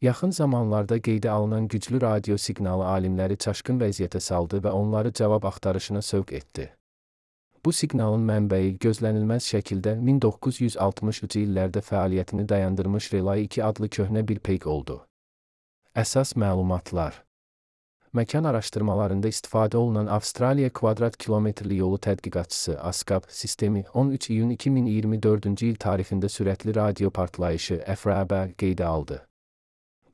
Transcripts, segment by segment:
Yaxın zamanlarda qeydə alınan güclü radio siqnalı alimləri çaşqın vəziyyətə saldı və onları cavab axtarışına sövq etdi. Bu siqnalın mənbəyi gözlənilməz şəkildə 1960-cı illərdə fəaliyyətini dayandırmış Relay 2 adlı köhnə bir peyk oldu. Əsas məlumatlar. Məkan araşdırmalarında istifadə olunan Avstraliya kvadrat kilometrli yolu tədqiqatçısı ASCAP sistemi 13 iyun 2024-cü il tarixində sürətli radio partlayışı FRB qeydə aldı.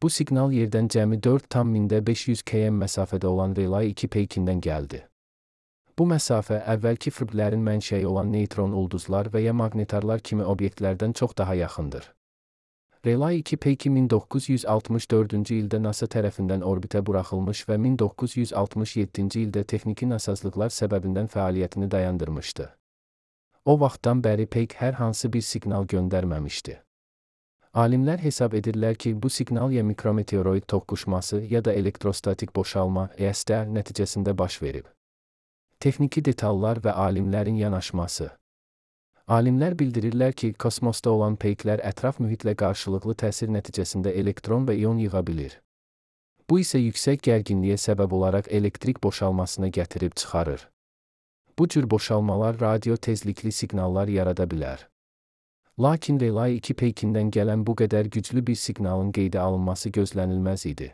Bu siqnal yerdən cəmi 4,500 km məsafədə olan Relay 2 peykindən gəldi. Bu məsafə əvvəlki FRB'lərin mənşəyi olan neytron ulduzlar və ya maqnetarlar kimi obyektlərdən çox daha yaxındır. Relay 2 peyki 1964-cü ildə NASA tərəfindən orbitə buraxılmış və 1967-ci ildə texniki nasazlıqlar səbəbindən fəaliyyətini dayandırmışdı. O vaxtdan bəri peyk hər hansı bir siqnal göndərməmişdi. Alimlər hesab edirlər ki, bu siqnal ya mikrometeoroid toqquşması ya da elektrostatik boşalma ESD nəticəsində baş verib. Texniki detallar və alimlərin yanaşması. Alimlər bildirirlər ki, kosmosda olan peyklər ətraf mühitlə qarşılıqlı təsir nəticəsində elektron və ion yığa bilir. Bu isə yüksək gərginliyə səbəb olaraq elektrik boşalmasına gətirib çıxarır. Bu cür boşalmalar radio tezlikli siqnallar yarada bilər. Lakin Relay 2 peykindən gələn bu qədər güclü bir siqnalın qeydə alınması gözlənilməz idi.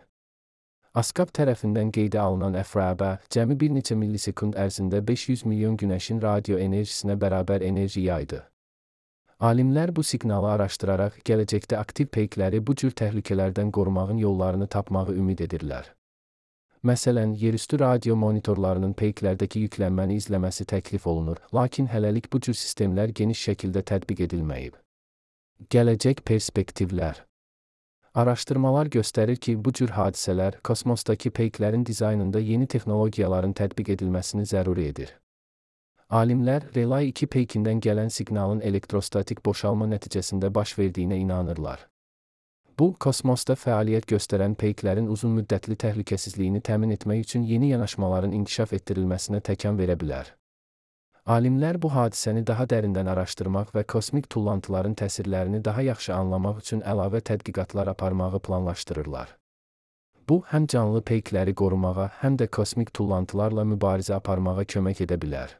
ASCAP tərəfindən qeydə alınan FRB cəmi bir neçə millisekund ərzində 500 milyon günəşin radio enerjisinə bərabər enerji yaydı. Alimlər bu siqnalı araşdıraraq gələcəkdə aktiv peykləri bu cür təhlükələrdən qorumağın yollarını tapmağı ümid edirlər. Məsələn, yerüstü radio monitorlarının peyklərdəki yüklənməni izləməsi təklif olunur, lakin hələlik bu cür sistemlər geniş şəkildə tətbiq edilməyib. Gələcək perspektivlər. Araşdırmalar göstərir ki, bu cür hadisələr kosmosdakı peyklərin dizaynında yeni texnologiyaların tətbiq edilməsini zəruri edir. Alimlər Relay 2 peykindən gələn siqnalın elektrostatik boşalma nəticəsində baş verdiyinə inanırlar. Bu, kosmosda fəaliyyət göstərən peyklərin uzun müddətli təhlükəsizliyini təmin etmək üçün yeni yanaşmaların inkişaf etdirilməsinə təkan verə bilər. Alimlər bu hadisəni daha dərindən araşdırmaq və kosmik tullantıların təsirlərini daha yaxşı anlamaq üçün əlavə tədqiqatlar aparmağı planlaşdırırlar. Bu, həm canlı peykləri qorumağa, həm də kosmik tullantılarla mübarizə aparmağa kömək edə bilər.